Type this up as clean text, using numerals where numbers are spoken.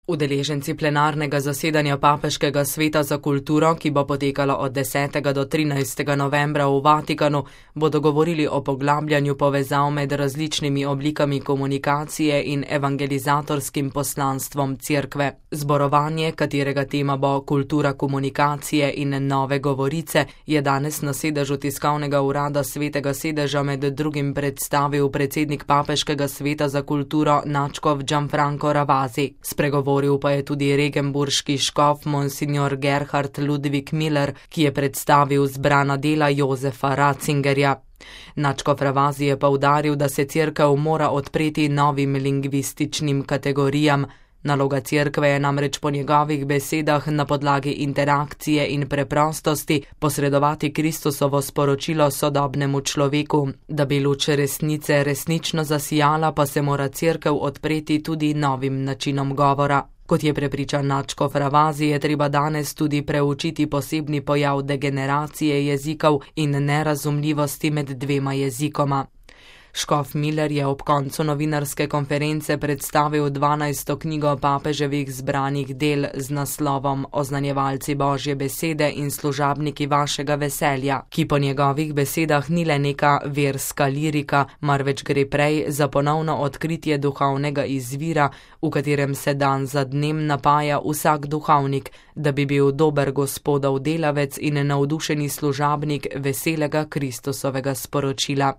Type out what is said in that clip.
Udeleženci plenarnega zasedanja Papeškega sveta za kulturo, ki bo potekalo od 10. do 13. novembra v Vatikanu, bodo govorili o poglabljanju povezav med različnimi oblikami komunikacije in evangelizatorskim poslanstvom Cerkve. Zborovanje, katerega tema bo kultura komunikacije in nove govorice, je danes na sedežu tiskovnega urada Svetega sedeža med drugim predstavil predsednik Papeškega sveta za kulturo nadškof Gianfranco Ravasi. Spregovoril pa je tudi regenburški škof monsignor Gerhard Ludwig Miller, ki je predstavil zbrana dela Josefa Ratzingerja. Nadškof Ravasi je poudaril, da se Cerkev mora odpreti novim lingvističnim kategorijam. Naloga Cerkve je namreč po njegovih besedah na podlagi interakcije in preprostosti posredovati Kristusovo sporočilo sodobnemu človeku. Da bi luč resnice resnično zasijala, pa se mora Cerkev odpreti tudi novim načinom govora. Kot je prepričan nadškof Ravasi, je treba danes tudi preučiti posebni pojav degeneracije jezikov in nerazumljivosti med dvema jezikoma. Škof Miller je ob koncu novinarske konference predstavil 12. knjigo papeževih zbranih del z naslovom Oznanjevalci Božje besede in služabniki vašega veselja, ki po njegovih besedah ni le neka verska lirika, marveč gre prej za ponovno odkritje duhovnega izvira, v katerem se dan za dnem napaja vsak duhovnik, da bi bil dober gospodov delavec in navdušeni služabnik veselega Kristusovega sporočila.